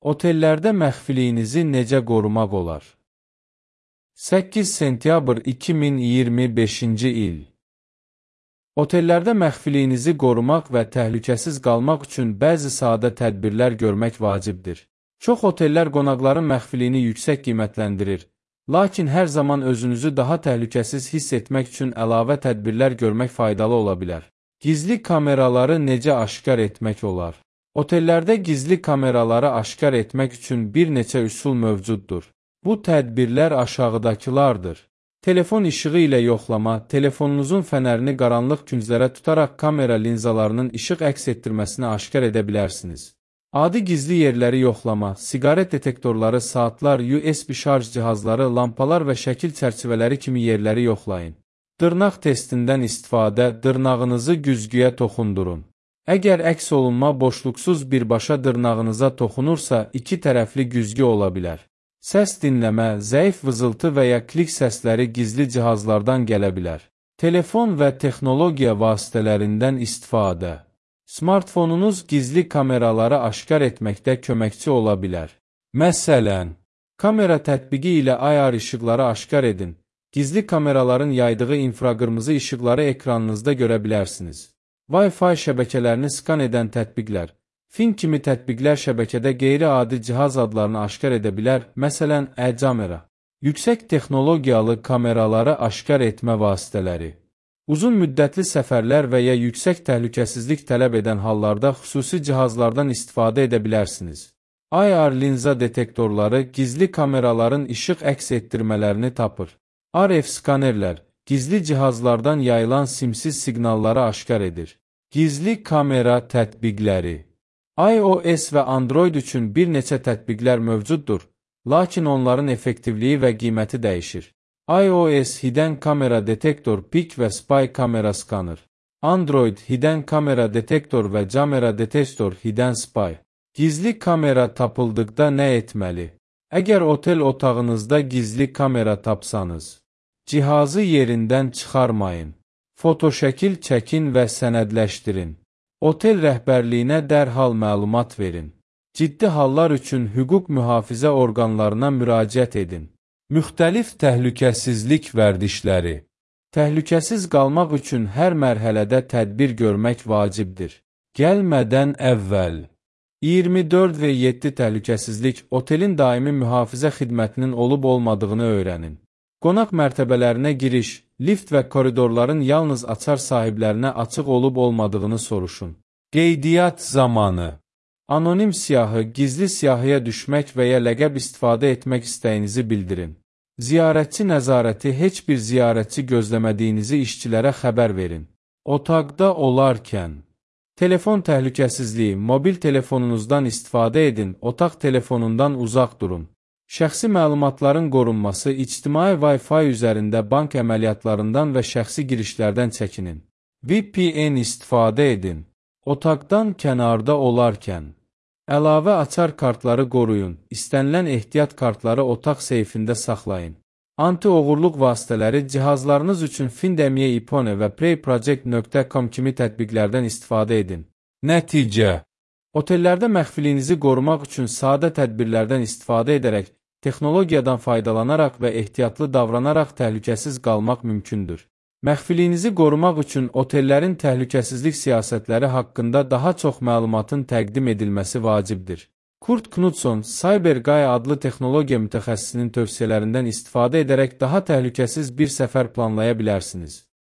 Otellərdə məxfiliyinizi necə qorumaq olar? 8 sentyabr 2025-ci il. Otellərdə məxfiliyinizi qorumaq və təhlükəsiz qalmaq üçün bəzi sadə tədbirlər görmək vacibdir. Çox otellər qonaqların məxfiliyini yüksək qiymətləndirir, lakin hər zaman özünüzü daha təhlükəsiz hiss etmək üçün əlavə tədbirlər görmək faydalı ola bilər. Gizli kameraları necə aşkar etmək olar? Otellərdə gizli kameraları aşkar etmək üçün bir neçə üsul mövcuddur. Bu tədbirlər aşağıdakılardır. Telefon işığı ilə yoxlama, telefonunuzun fənərini qaranlıq künclərə tutaraq kamera linzalarının işıq əks etdirməsini aşkar edə bilərsiniz. Adi gizli yerləri yoxlama, siqaret detektorları, saatlar, USB şarj cihazları, lampalar və şəkil çərçivələri kimi yerləri yoxlayın. Dırnaq testindən istifadə, dırnağınızı güzgüyə toxundurun. Əgər əks olunma boşluqsuz birbaşa dırnağınıza toxunursa, iki tərəfli güzgü ola bilər. Səs dinləmə, zəif vızıltı və ya klik səsləri gizli cihazlardan gələ bilər. Telefon və texnologiya vasitələrindən istifadə. Smartfonunuz gizli kameraları aşkar etməkdə köməkçi ola bilər. Məsələn, kamera tətbiqi ilə ayar işıqları aşkar edin. Gizli kameraların yaydığı infraqırmızı işıqları ekranınızda görə bilərsiniz. Wi-Fi şəbəkələrini skan edən tətbiqlər. Fin kimi tətbiqlər şəbəkədə qeyri-adi cihaz adlarını aşkar edə bilər, məsələn, e-kamera. Yüksək texnologiyalı kameraları aşkar etmə vasitələri. Uzun müddətli səfərlər və ya yüksək təhlükəsizlik tələb edən hallarda xüsusi cihazlardan istifadə edə bilərsiniz. IR linza detektorları gizli kameraların işıq əks etdirmələrini tapır. RF skanerlər gizli cihazlardan yayılan simsiz siqnalları aşkar edir. Gizli kamera tətbiqləri. iOS və Android üçün bir neçə tətbiqlər mövcuddur, lakin onların effektivliyi və qiyməti dəyişir. iOS Hidden Kamera Detektor Pik və Spy Kamera Skanır. Android Hidden Kamera Detektor və Camera Detektor Hidden Spy. Gizli kamera tapıldıqda nə etməli? Əgər otel otağınızda gizli kamera tapsanız, cihazı yerindən çıxarmayın. Fotoşəkil çəkin və sənədləşdirin. Otel rəhbərliyinə dərhal məlumat verin. Ciddi hallar üçün hüquq mühafizə orqanlarına müraciət edin. Müxtəlif təhlükəsizlik vərdişləri. Təhlükəsiz qalmaq üçün hər mərhələdə tədbir görmək vacibdir. Gəlmədən əvvəl 24 və 7 təhlükəsizlik otelin daimi mühafizə xidmətinin olub-olmadığını öyrənin. Qonaq mərtəbələrinə giriş, lift və koridorların yalnız açar sahiblərinə açıq olub-olmadığını soruşun. Qeydiyyat zamanı. Anonim siyahı, gizli siyahıya düşmək və ya ləqəb istifadə etmək istəyinizi bildirin. Ziyarətçi nəzarəti heç bir ziyarətçi gözləmədiyinizi işçilərə xəbər verin. Otaqda olarkən. Telefon təhlükəsizliyi, mobil telefonunuzdan istifadə edin, otaq telefonundan uzaq durun. Şəxsi məlumatların qorunması, ictimai Wi-Fi üzərində bank əməliyyatlarından və şəxsi girişlərdən çəkinin. VPN istifadə edin. Otaqdan kənarda olarkən. Əlavə açar kartları qoruyun, istənilən ehtiyat kartları otaq seyfində saxlayın. Anti-oğurluq vasitələri cihazlarınız üçün Findemye Ipone və PreyProject.com kimi tətbiqlərdən istifadə edin. Nəticə. Otellərdə məxfiliyinizi qorumaq üçün sadə tədbirlərdən istifadə edərək, texnologiyadan faydalanaraq və ehtiyatlı davranaraq təhlükəsiz qalmaq mümkündür. Məxfiliyinizi qorumaq üçün otellərin təhlükəsizlik siyasətləri haqqında daha çox məlumatın təqdim edilməsi vacibdir. Kurt Knudson, CyberGuy adlı texnologiya mütəxəssisinin tövsiyələrindən istifadə edərək daha təhlükəsiz bir səfər planlaya bilərsiniz.